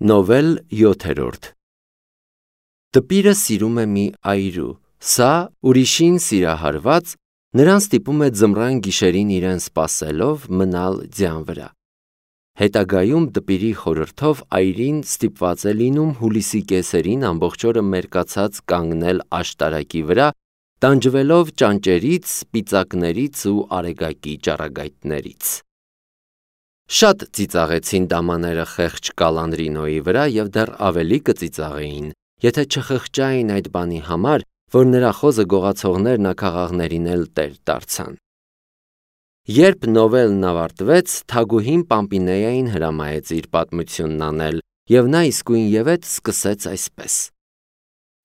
Նովել 7-րդ Տպիրը սիրում է մի այրու, սա ուրիշին սիրահարված, նրան ստիպում է ձմռան գիշերին իրեն սպասելով մնալ ձյան վրա։ Հետագայում տպիրի խորհրդով այրին ստիպված է լինում հուլիսի կեսերին ամբողջ օրը մերկացած կանգնել աշտարակի վրա, տանջվելով ճանճերից, սպիտակներից ու արեգակի ճառագայթներից։ Շատ ծիծաղեցին դամաները խեղճ կալան Ռինոյի վրա և դեռ ավելի կծիծաղեին, եթե չխղճային այդ բանի համար, որ նրա խոզը գողացողներն աքաղաղներին էլ տեր դարձան։ Երբ նովելն ավարտվեց, Թագուհին Պամպինեային հրամայեց իր պատմությունն անել, և նա իսկույնևեթ սկսեց այսպես.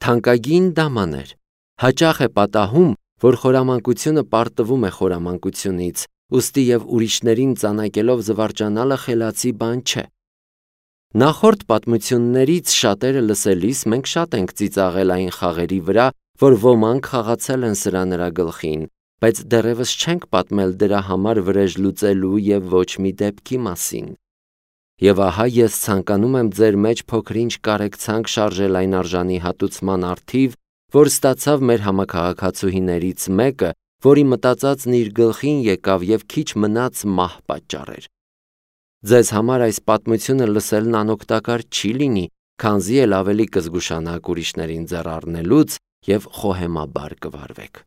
Թանկագին դամաներ, հաճախ է պատահում, որ խորամանկությունը պարտվում է խորամանկությունից, ուստի և ուրիշներին ծանակելով զվարճանալը խելացի բան չէ։ Նախորդ պատմություններից շատերը լսելիս մենք շատ ենք ծիծաղել այն խաղերի վրա, որ ոմանք խաղացել են սրա-նրա գլխին, բայց դեռևս չենք պատմել դրա համար վրեժ լուծելու և ոչ մի դեպքի մասին։ Եվ ահա ես ցանկանում եմ ձեր մեջ փոքր-ինչ կարեկցանք շարժել այն արժանի հատուցման առթիվ, որ ստացավ մեր համաքաղաքացուհիներից մեկը, որի մտածածն իր գլխին եկավ և քիչ մնաց մահ պատճառեր։ Ձեզ համար այս պատմությունը լսելն անօգտակար չի լինի, քանզի էլ ավելի կզգուշանաք ուրիշներին ձեռ առնելուց և խոհեմաբար կվարվեք։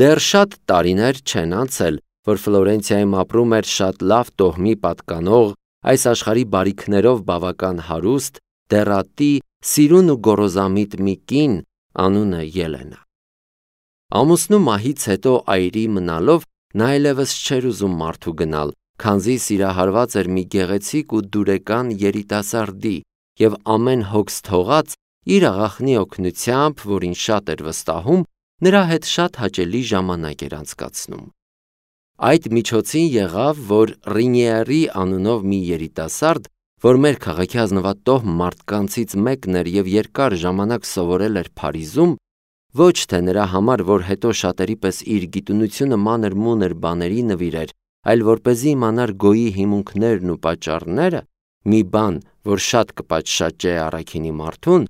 Դեռ շատ տարիներ չեն անցել, որ Ֆլորենցիայում ապրում էր շատ լավ տոհմի պատկանող, այս աշխարհի բարիքներով բավական հարուստ, դեռատի, սիրուն ու գոռոզամիտ մի կին, անունը Ելենա։ Ամուսնու մահից հետո այրի մնալով նա այլևս չէր ուզում մարդու գնալ, քանզի սիրահարված էր մի գեղեցիկ ու դուրեկան երիտասարդի և ամեն հոգս թողած իր աղախնի օգնությամբ, որին շատ էր վստահում, նրա հետ շատ հաճելի ժամանակ էր անցկացնում։ Այդ միջոցին եղավ, որ Ռինիերի անունով մի երիտասարդ, որ մեր քաղաքի ազնվատոհ մարդկանցից մեկն էր և երկար ժամանակ սովորել էր Փարիզում, ոչ թե նրա համար, որ հետո շատերի պես իր գիտունությունը մանր-մունր բաների նվիրեր, այլ որպեսզի իմանար գոյի հիմունքներն ու պատճառները, մի բան, որ շատ կպատշաճե առաքինի մարդուն,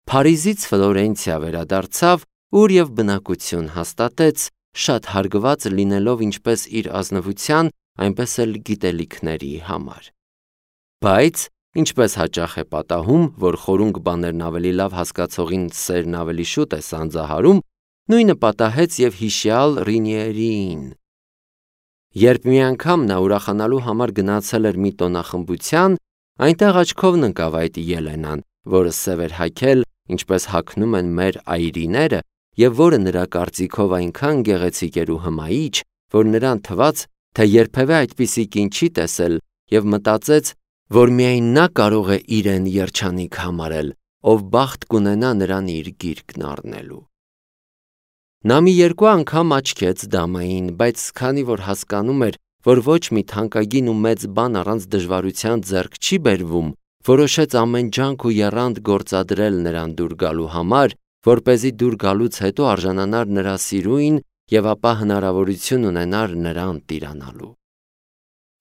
Փարիզից Ֆլորենցիա վերադարձավ, ուր և բնակություն հաստատեց, շատ հարգված լինելով ինչպես իր ազնվության, այնպես էլ գիտելիքների համար։ Բայց, ինչպես հաճախ է պատահում, որ խորունգ բաներն ավելի լավ հասկացողին սերն ավելի շուտ է սանձահարում, նույնը պատահեց և հիշյալ Ռինիերիին։ Երբ մի անգամ նա ուրախանալու համար գնացել էր մի տոնախմբության, այնտեղ աչքովն ընկավ այդ Ելենան, որը սև էր հագել, ինչպես հագնում են մեր այրիները, և որը նրա կարծիքով այնքան գեղեցիկ էր ու հմայիչ, որ նրան թվաց, թե երբևէ այդպիսի կին չի տեսել, և մտածեց, որ միայն նա կարող է իրեն երջանիկ համարել, ով բախտ կունենա նրան իր գիրկն առնելու։ Նա մի երկու անգամ աչքեց դամային, բայց քանի որ հասկանում էր, որ ոչ մի թանկագին ու մեծ բան առանց դժվարության ձեռք չի բերվում, որոշեց ամեն ջանք ու եռանդ գործադրել նրան դուր գալու համար, որպեսզի դուր գալուց հետո արժանանար նրա սիրույն և ապա հնարավորություն ունենար նրան տիրանալու։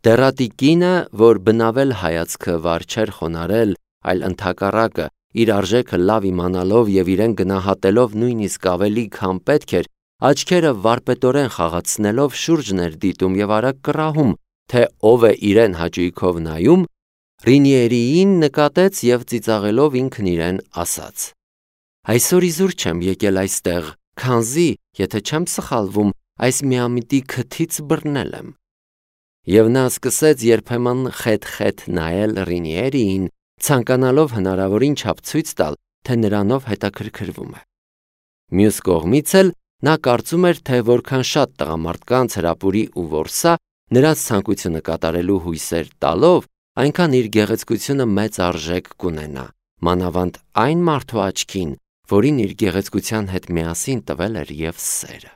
Դեռատի կինը, որ բնավել հայացքը վար չէր խոնարհել, այլ ընդհակառակը, իր արժեքը լավ իմանալով և իրեն գնահատելով նույնիսկ ավելի, քան պետք էր, աչքերը վարպետորեն խաղացնելով շուրջն էր դիտում և արագ կռահում, թե ով է իրեն հաճույքով նայում, Ռինիերիին նկատեց և ծիծաղելով ինքն իրեն ասաց. «Այսօր իզուր չեմ եկել այստեղ, քանզի, եթե չեմ սխալվում, այս միամիտի քթից բռնել եմ»։ Եվ նա սկսեց երբեմն խեթ-խեթ նայել Ռինիերիին, ցանկանալով հնարավորին չափ ցույց տալ, թե նրանով հետաքրքրվում է։ Մյուս կողմից էլ նա կարծում էր, թե որքան շատ տղամարդկանց հրապուրի ու որսա, նրանց ցանկությունը կատարելու հույսեր տալով, այնքան իր գեղեցկությունը մեծ արժեք կունենա, մանավանդ այն մարդու աչքին, որին իր գեղեցկության հետ միասին տվել էր և սերը։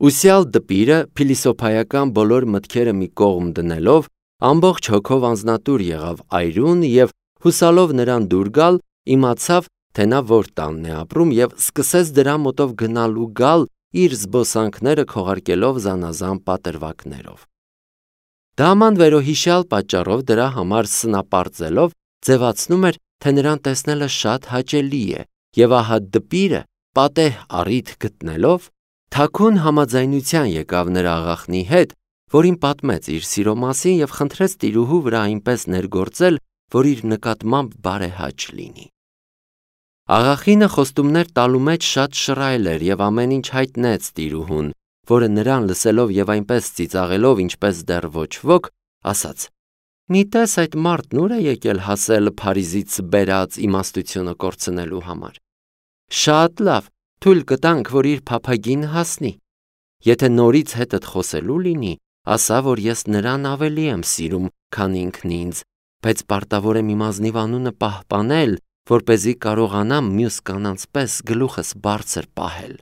Ուսյալ դպիրը փիլիսոփայական բոլոր մտքերը մի կողմ դնելով, ամբողջ հոգով անձնատուր եղավ այրուն և հուսալով նրան դուր գալ, իմացավ, թե նա որ տանն է ապրում և սկսեց դրա մոտով գնալ ու գալ, իր զբոսանքները քողարկելով զանազան պատրվակներով։ Դաման վերոհիշյալ պատճառով դրա համար սնապարծելով ձևացնում էր, թե նրան տեսնելը շատ հաճելի է, և ահա դպիրը, պատեհ առիթ գտնելով, թաքուն համաձայնության եկավ նրա աղախնի հետ, որին պատմեց իր սիրո մասին և խնդրեց տիրուհու վրա այնպես ներգործել, որ իր նկատմամբ բարեհաճ լինի։ Աղախինը խոստումներ տալու մեջ շատ շռայլ էր և ամեն ինչ հայտնեց տիրուհուն, որը նրան լսելով և այնպես ծիծաղելով, ինչպես դեռ ոչ ոք, ասաց. «Մի տես այդ մարդն ուր է եկել հասել Փարիզից բերած իմաստությունը կորցնելու համար։ Շատ լավ, թույլ կտանք, որ իր փափագին հասնի։ Եթե նորից հետդ խոսելու լինի, ասա, որ ես նրան ավելի եմ սիրում, քան ինքն ինձ, բայց պարտավոր եմ իմ ազնիվ անունը պահպանել, որպեսզի կարողանամ մյուս կանանց պես գլուխս բարձր պահել։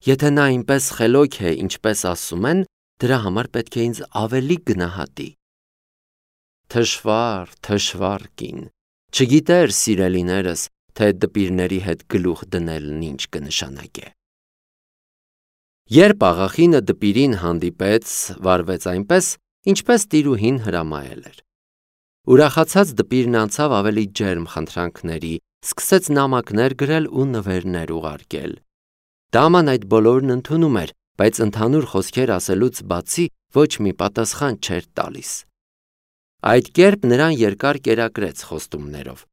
Եթե նա այնպես խելոք է, ինչպես ասում են, դրա համար պետք է ինձ ավելի գնահատի»։ Թշվառ կին, չգիտեր սիրելիներս, թե դպիրների հետ գլուխ դնելն ինչ կնշանակե։ Երբ աղախինը դպիրին հանդիպեց, վարվեց այնպես, ինչպես տիրուհին հրամայել էր։ Ուրախացած դպիրն անցավ ավելի ջերմ խնդրանքների, սկսեց նամակներ գրել ու նվերներ ուղարկել։ Դաման այդ բոլորն ընդունում էր, բայց ընդհանուր խոսքեր ասելուց բացի ոչ մի պատասխան չէր տալիս։ Այդ կերպ նրան երկար կերակրեց խոստումներով։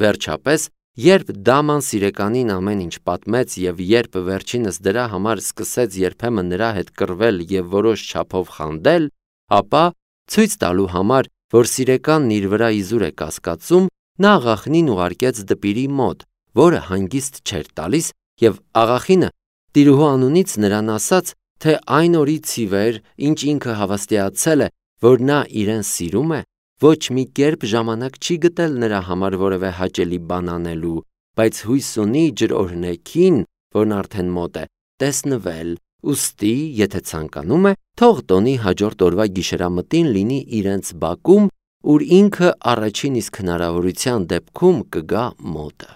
Վերջապես, երբ դաման սիրեկանին ամեն ինչ պատմեց և երբ վերջինս դրա համար սկսեց երբեմն նրա հետ կռվել և որոշ չափով խանդել, ապա, ցույց տալու համար, որ սիրեկանն իր վրա իզուր է կասկածում, նա աղախինին ուղարկեց դպիրի մոտ, որը հանգիստ չէր տալիս, և աղախինը տիրուհու անունից նրան ասաց, թե այն օրից ի վեր, ինչ ինքը հավաստիացել է, որ նա իրեն սիրում է, ոչ մի կերպ ժամանակ չի գտել նրա համար որևէ հաճելի բան անելու, բայց հույս ունի ջրօրհնեքին, որն արդեն մոտ է, տեսնվել, ուստի, եթե ցանկանում է, թող տոնի հաջորդ օրվա գիշերամտին լինի իրենց բակում, ուր ինքը առաջին իսկ հնարավորության դեպքում կգա մոտը։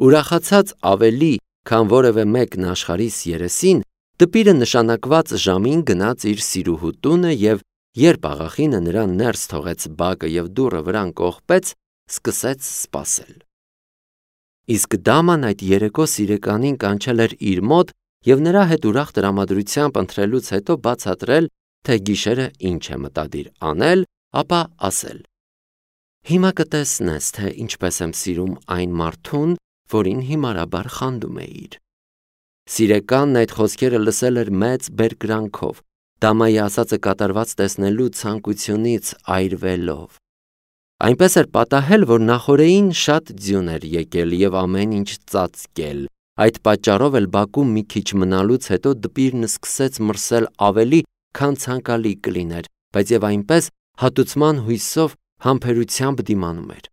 Ուրախացած ավելի, քան որևէ մեկն աշխարհիս երեսին, դպիրը նշանակված ժամին գնաց իր սիրուհու տունը և երբ աղախինը նրան ներս թողեց բակը և դուռը վրան կողպեց, սկսեց սպասել։ Իսկ դաման այդ երեկո սիրեկանին կանչել էր իր մոտ և նրա հետ ուրախ տրամադրությամբ ընթրելուց հետո բացատրել, թե գիշերը ինչ է մտադիր անել, ապա ասել. «Հիմա կտեսնես, թե ինչպես եմ սիրում այն մարդուն, որին հիմարաբար խանդում էիր»։ Սիրեկանն այդ խոսքերը լսել էր մեծ բերկրանքով, դամայի ասածը կատարված տեսնելու ցանկությունից այրվելով։ Այնպես էր պատահել, որ նախօրեին շատ ձյուն էր եկել և ամեն ինչ ծածկել։ Այդ պատճառով էլ բակում մի քիչ մնալուց հետո դպիրն սկսեց մրսել ավելի, քան ցանկալի կլիներ, բայց և այնպես հատուցման հույսով համբերությամբ դիմանում էր։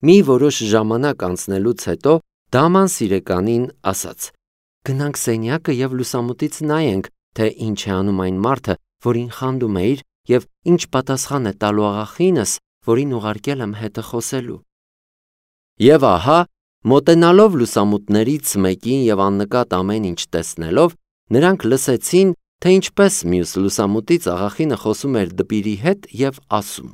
Մի որոշ ժամանակ անցնելուց հետո դաման սիրեկանին ասաց. «Գնանք սենյակը և լուսամուտից նայենք, թե ինչ է անում այն մարդը, որին խանդում էիր, և ինչ պատասխան է տալու աղախինս, որին ուղարկել եմ հետը խոսելու»։ Եվ ահա, մոտենալով լուսամուտներից մեկին և աննկատ ամեն ինչ տեսնելով, նրանք լսեցին, թե ինչպես մյուս լուսամուտից աղախինը խոսում էր դպիրի հետ և ասում.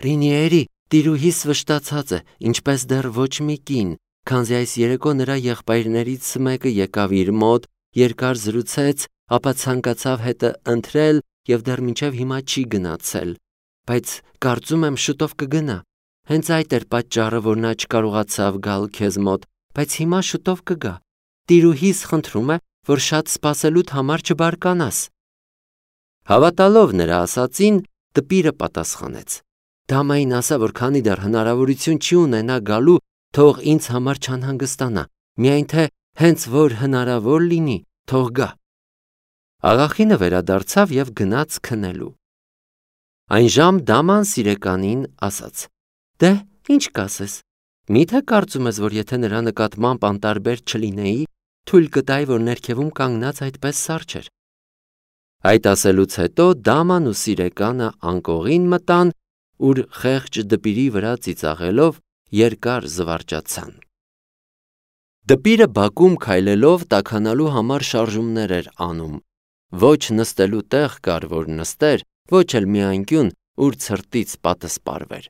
«Ռինիերի տիրուհիս վշտացած է, ինչպես դեռ ոչ մի կին, քանզի այս երեկո նրա եղբայրներից մեկը եկավ իր մոտ, երկար զրուցեց, ապա ցանկացավ հետը ընթրել և դեռ մինչև հիմա չի գնացել, բայց կարծում եմ շուտով կգնա։ Հենց այդ էր պատճառը, որ նա չկարողացավ գալ քեզ մոտ, բայց հիմա շուտով կգա։ Տիրուհիս խնդրում է, որ շատ սպասելուդ համար չբարկանաս»։ Հավատալով նրա ասածին, դպիրը պատասխանեց. «Դամային ասա, որ քանի դեռ հնարավորություն չի ունենա գալու, թող ինձ համար չանհանգստանա, միայն թե հենց որ հնարավոր լինի, թող գա»։ Աղախինը վերադարձավ և գնաց քնելու։ Այն ժամ դաման սիրեկանին ասաց. «Դե, ինչ կասես, մի՞թե կարծում ես, որ եթե նրա նկատմամբ անտարբեր չլինեի, թույլ կտայի, որ ներքևում կանգնած այդպես սառչեր»։ Այդ ասելուց հետո դաման ու սիրեկանը անկողին մտան, ուր խեղճ դպիրի վրա ծիծաղելով երկար զվարճացան։ Դպիրը բակում քայլելով տաքանալու համար շարժումներ էր անում։ Ոչ նստելու տեղ կար, որ նստեր, ոչ էլ մի անկյուն, ուր ցրտից պատը սպարվեր։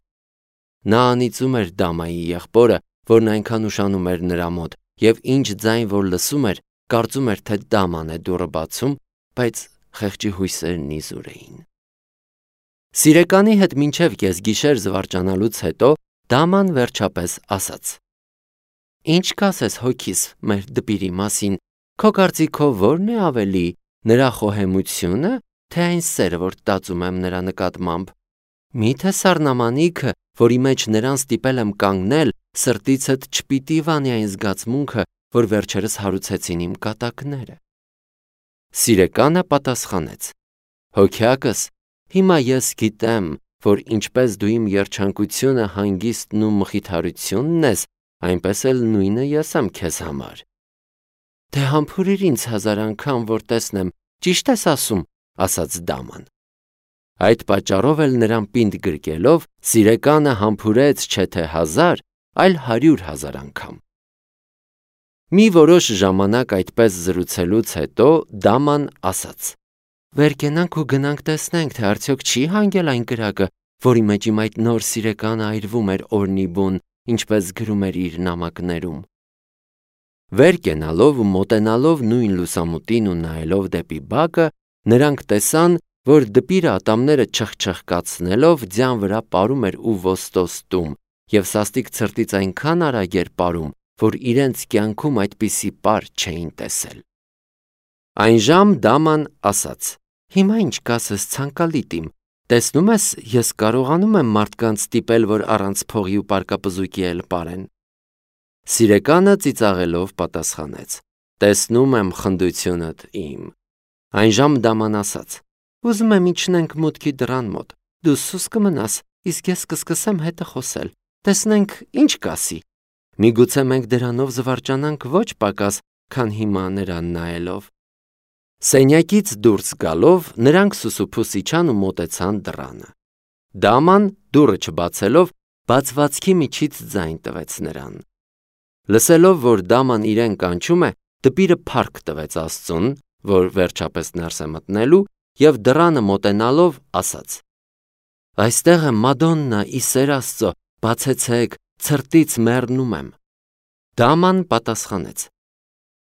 Նա անիծում էր Դամայի եղբորը, որն այնքան ուշանում էր նրա մոտ, եւ ինչ ձայն որ լսում էր, կարծում էր, թե Դաման է դուռը բացում, բայց խեղճի հույսերն իզուր էին։ Սիրեկանի հետ մինչև կեսգիշեր զվարճանալուց հետո Դաման վերջապես ասաց. «Ինչ կասես հոգիս մեր դպիրի մասին, քո կարծիքով ո՞րն է ավելի, նրա խոհեմությունը, թե այն սերը, որ տածում եմ նրա նկատմամբ։ Միթե սառնամանիքը, որի մեջ նրան ստիպել եմ կանգնել, սրտիցդ չպիտի վանի այն զգացմունքը, որ վերջերս հարուցեցին իմ կատակները»։ Սիրեկանը պատասխանեց. «Հոգյակս, հիմա ես գիտեմ, որ ինչպես դու իմ երջանկությունը, հանգիստն ու մխիթարությունն ես, այնպես էլ նույնը ես եմ քեզ համար»։ «Դե համբուրիր ինձ 1000 անգամ, որ տեսնեմ, ճիշտ ես ասում», ասաց Դաման։ Այդ պատճառով էլ նրան պինդ գրկելով, Սիրեկանը համբուրեց չէ թե 1000, այլ 100,000 անգամ։ Մի որոշ ժամանակ այդպես զրուցելուց հետո Դաման ասաց. «Վեր կենանք ու գնանք տեսնենք, թե արդյոք չի հանգել այն կրակը, որի մեջ իմ այդ նոր Սիրեկանը այրվում էր օրնի բուն, ինչպես գրում էր իր նամակներում»։ Վեր կենալով ու մոտենալով նույն լուսամուտին ու նայելով դեպի բակը, նրանք տեսան, որ դպիրը ատամները չխչխկացնելով ձյան վրա պարում էր ու ոստոստում, եւ սաստիկ ցրտից այնքան արագ էր պարում, որ իրենց կյանքում այդպիսի պար չէին տեսել։ Այն ժամ Դաման ասաց. «Հիմա ինչ կասես ցանկալի տիմ, տեսնում ես, ես կարողանում եմ մարդկանց ստիպել, որ առանց փողի ու պարկապզուկի էլ պարեն»։ Սիրեկանը ծիծաղելով պատասխանեց. «Տեսնում եմ խնդությունդ իմ»։ Այն ժամ Դաման ասաց. «Ուզում եմ իջնենք մուտքի դռան մոտ, դու սուս կմնաս, իսկ ես կսկսեմ հետը խոսել, տեսնենք ինչ կասի։ Միգուցե մենք դրանով զվարճանանք ոչ պակաս, քան հիմա նրան նայելով»։ Սենյակից դուրս գալով նրանք սուսուփուս իջան ու մոտեցան դռանը։ Դաման դուռը չբացելով բացվածքի միջից ձայն տվեց նրան։ Լսելով, որ Դաման իրեն կանչում է, դպիրը փառք տվեց Աստծուն, որ վերջապես ներս է մտնելու, եւ դռանը մոտենալով ասաց. «Այստեղ է Մադոննա, ի սեր Աստծո, բացեցեք, ցրտից մեռնում եմ»։ Դաման պատասխանեց.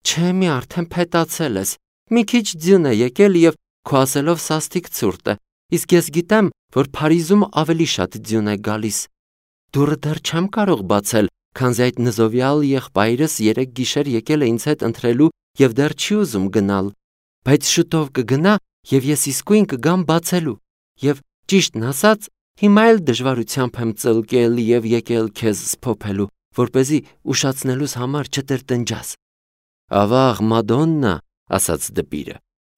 «Չէ, մի արդեն փետացել ես, մի քիչ ձյուն է եկել եւ քո ասելով սաստիկ ցուրտ է, իսկ ես գիտեմ, որ Փարիզում ավելի շատ ձյուն է գալիս։ Դուռը դեռ չեմ կարող բացել, քանզի այդ նզովյալ եղբայրս 3 գիշեր եկել է ինձ հետ ընթրելու եւ դեռ չի ուզում գնալ, բայց շուտով կգնա եւ ես իսկույն կգամ բացելու, եւ ճիշտն ասած, հիմա էլ դժվարությամբ եմ ծլկել եւ եկել քեզ սփոփելու, որպեսզի ուշացնելուս համար չտրտնջաս»։ «Ավաղ, Մադոննա», ասաց դպիրը,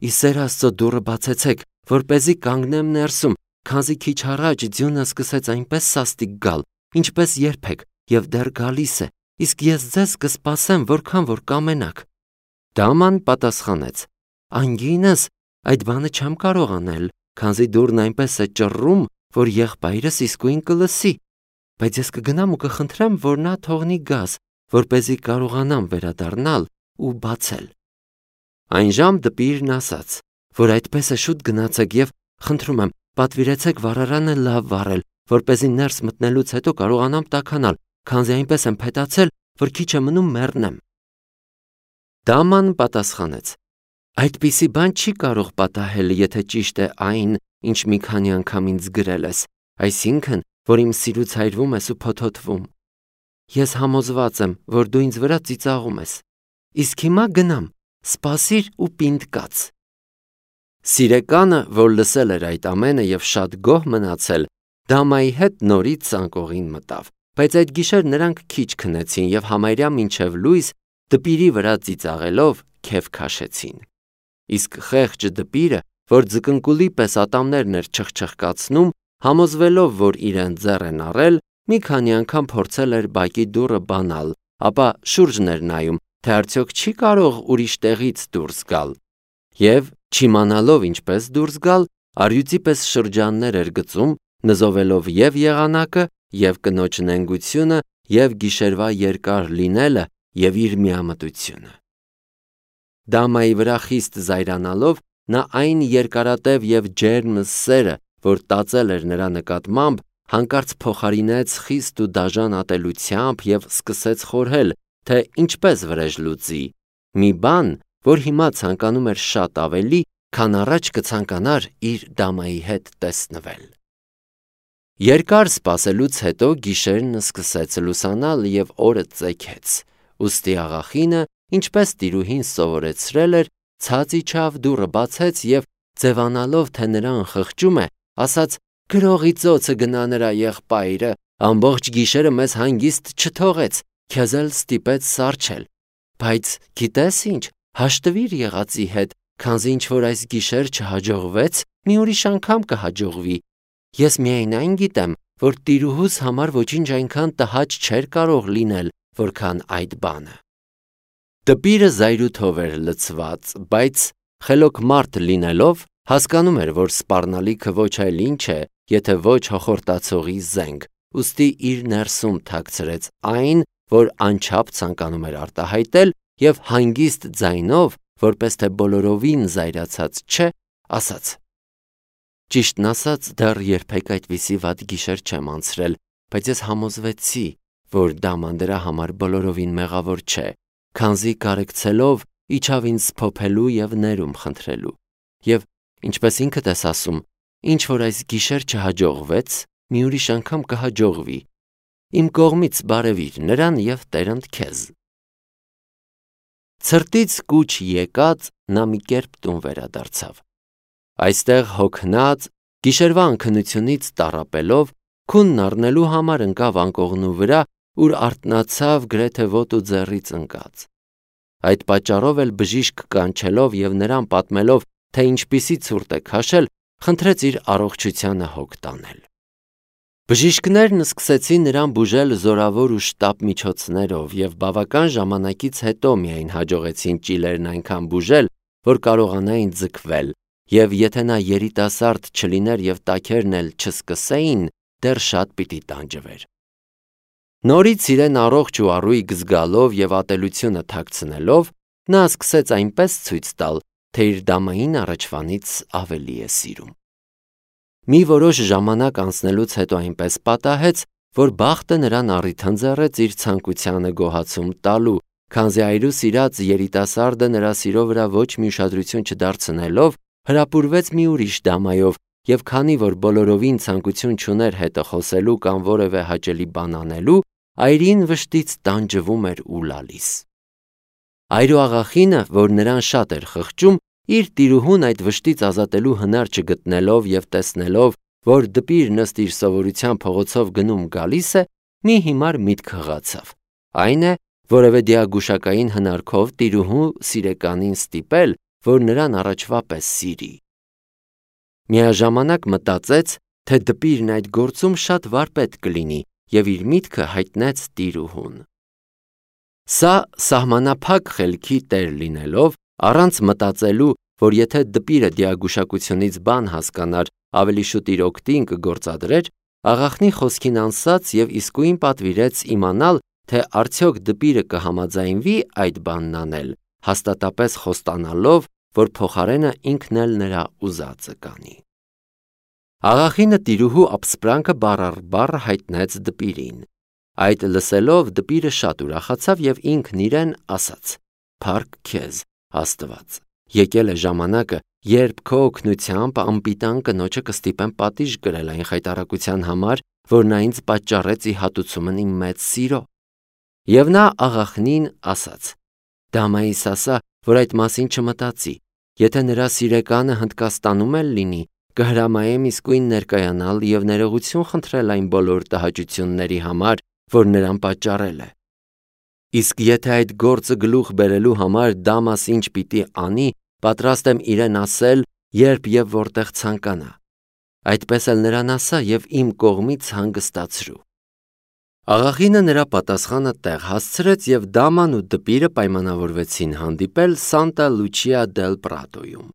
«ի սեր Աստծո դուռը բացեցեք, որպեսզի կանգնեմ ներսում, քանզի քիչ առաջ ձյունը սկսեց այնպես սաստիկ գալ, ինչպես երբեք, եւ դեռ գալիս է, իսկ ես ձեզ կսպասեմ, որքան որ կամենաք»։ Դաման պատասխանեց. «Անգինս, այդ բանը չեմ կարող անել, քանզի դուռն այնպես է ճռռում, որ եղբայրս իսկույն կլսի, բայց ես կգնամ ու կխնդրեմ, որ նա թողնի գազ, որպեսզի կարողանամ վերադառնալ ու բացել»։ Այն ժամ դպիրն ասաց, որ այդպես է, շուտ գնացեք եւ խնդրում եմ, պատվիրեցեք վառարանը լավ վառել, որպեսզի ներս մտնելուց հետո կարողանամ տաքանալ, քանզի այնպես եմ փետացել, որ քիչ է մնում մեռնեմ։ Դաման պատասխանեց. «Այդպիսի բան չի կարող պատահել, եթե ճիշտ է այն, ինչ մի քանի անգամ ինձ գրել ես, այսինքն, որ իմ սիրուց հայրվում ես ու փոթոթվում։ Ես համոզված եմ, որ դու ինձ վրա ծիծաղում ես։ Իսկ հիմա գնամ, սպասիր ու պինդ կաց»։ Սիրեկանը, որ լսել էր այդ ամենը եւ շատ գոհ մնացել, Դամայի հետ նորից ցանկողին մտավ, բայց այդ գիշեր նրանք քիչ քնեցին եւ համարյա մինչև լույս դպիրի վրա ծիծաղելով քեֆ քաշեցին։ Իսկ խեղճ դպիրը, որ ձկնկուլի պես ատամներն էր չխչխկացնում, համոզվելով, որ իրեն ձեռ են առել, մի քանի անգամ փորձել էր բակի դուռը բանալ, ապա շուրջն էր նայում, թե արդյոք չի կարող ուրիշ տեղից դուրս գալ։ Եվ չիմանալով ինչպես դուրս գալ, առյուծի պես շրջաններ էր գծում, նզովելով եւ եղանակը, եւ կնոջ նենգությունը, եւ գիշերվա երկար լինելը, եւ իր միամտությունը։ Դամայի վրա խիստ զայրանալով, նա այն երկարատև եւ ջերմ սերը, որ տածել էր նրա նկատմամբ, հանկարծ փոխարինեց խիստ ու դաժան ատելությամբ և սկսեց խորհել, թե ինչպես վրեժ լուծի, մի բան, որ հիմա ցանկանում էր շատ ավելի, քան առաջ կցանկանար իր դամայի հետ տեսնվել։ Երկար սպասելուց հետո գիշերն սկսեց լուսանալ և օրը ծեքեց, ուստի աղախինը, ինչպես տիրուհին սովորեցրել էր, ցած իջավ, դուռը բացեց և, ձևանալով, թե նրան խղճում է, ասաց. «Գրողի ծոցը գնա նրա եղբայրը, ամբողջ գիշերը մեզ հանգիստ չթողեց, քեզ էլ ստիպեց սառչել, բայց գիտես ինչ, հաշտվիր եղածի հետ, քանզի ինչ-որ այս գիշեր չհաջողվեց, մի ուրիշ անգամ կհաջողվի։ Ես միայն այն գիտեմ, որ տիրուհուս համար ոչինչ այնքան տհաճ չէր կարող լինել, որքան այդ բանը»։ Դպիրը զայրույթով էր լցված, բայց խելոք մարդ լինելով, հասկանում էր, որ սպառնալիքը ոչ այլ ինչ է, եթե ոչ հոխորտացողի զենք, ուստի իր ներսում թաքցրեց այն, որ անչափ ցանկանում էր արտահայտել, և հանգիստ ձայնով, որպես թե բոլորովին զայրացած չէ, ասաց. «Ճիշտն ասած, դեռ երբեք այդպիսի վատ գիշեր չեմ անցրել, բայց ես համոզվեցի, որ դաման դրա համար բոլորովին մեղավոր չէ, քանզի կարեկցելով իջավ ինձ սփոփելու և ներում խնդրելու, և, ինչպես ինքդ ես ասում, ինչ որ այս գիշեր չհաջողվեց, մի ուրիշ անգամ կհաջողվի, իմ կողմից բարևիր նրան և տերընդ քեզ»։ Ցրտից կուչ եկած նա մի կերպ տուն վերադարձավ։ Այստեղ հոգնած, գիշերվա անքնությունից տառապելով, քունն առնելու համար ընկավ անկողնու վրա, ուր արթնացավ գրեթե ոտու ձեռից ընկած։ Այդ պատճառով էլ բժիշկ կանչելով և նրան պատմելով, թե ինչպիսի ցուրտ է քաշել, խնդրեց իր առողջությանը հոգ տանել։ Բժիշկներն սկսեցին նրան բուժել զորավոր ու շտապ միջոցներով և բավական ժամանակից հետո միայն հաջողեցին ճիլերն այնքան բուժել, որ կարողանային ձգվել, և եթե նա երիտասարդ չլիներ և տաքերն էլ չսկսեին, դեռ շատ պիտի տանջվեր։ Նորից իրեն առողջ ու առույգ զգալով և ատելությունը թաքցնելով, նա սկսեց այնպես ցույց տալ, թե իր դամային առաջվանից ավելի է սիրում։ Մի որոշ ժամանակ անցնելուց հետո այնպես պատահեց, որ բախտը նրան առիթ ընձեռեց իր ցանկությանը գոհացում տալու, քանզի այրու սիրած երիտասարդը նրա սիրո վրա ոչ մի ուշադրություն չդարձնելով, հրապուրվեց մի ուրիշ դամայով, և քանի որ բոլորովին ցանկություն չուներ հետը խոսելու կամ որևէ հաճելի բան անելու, այրին վշտից տանջվում էր ու լալիս։ Այրուաղախինը, որ նրան շատ էր խղճում, իր տիրուհուն այդ վշտից ազատելու հնար չգտնելով և տեսնելով, որ դպիրն ըստ իր սովորության փողոցով գնում-գալիս է, մի հիմար միտք հղացավ, այն է, որևէ դիագուշակային հնարքով տիրուհու սիրեկանին ստիպել, որ նրան առաջվա պես սիրի։ Միաժամանակ մտածեց, թե դպիրն այդ գործում շատ վարպետ կլինի և իր միտքը հայտնեց տիրուհուն։ Սա սահմանափակ խելքի տեր լինելով, առանց մտածելու, որ եթե դպիրը դիագուշակությունից բան հասկանար, ավելի շուտ իր օգտին կգործադրեր, աղախնի խոսքին անսաց և իսկույն պատվիրեց իմանալ, թե արդյոք դպիրը կհամաձայնվի այդ բանն անել, հաստատապես խոստանալով, որ փոխարենը ինքն էլ նրա ուզածը կանի։ Աղախինը տիրուհու ապսպրանքը բառ առ բառ հայտնեց դպիրին։ Այդ լսելով դպիրը շատ ուրախացավ և ինքն իրեն ասաց. «Փառք քեզ, Աստված, եկել է ժամանակը, երբ քո օգնությամբ անպիտան կնոջը կստիպեմ պատիժ կրել այն խայտառակության համար, որ նա ինձ պատճառեց ի հատուցումն իմ մեծ սիրո»։ Եվ նա աղախնին ասաց. «Դամայիս ասա, որ այդ մասին չմտածի, եթե նրա սիրեկանը Հնդկաստանում էլ լինի, կհրամայեմ իսկույն ներկայանալ և ներողություն խնդրել այն բոլոր տհաճությունների համար, որ նրան պատճառել է։ Իսկ եթե այդ գործը գլուխ բերելու համար դամաս ինչ պիտի անի, պատրաստ եմ իրեն ասել, երբ և որտեղ ցանկանա։ Այդպես էլ նրան ասա և իմ կողմից հանգստացրու»։ Աղախինը նրա պատասխանը տեղ հասցրեց և դաման ու դպիրը պայմանավորվեցին հանդիպել Սանտա Լուչիա դել Պրատոյում։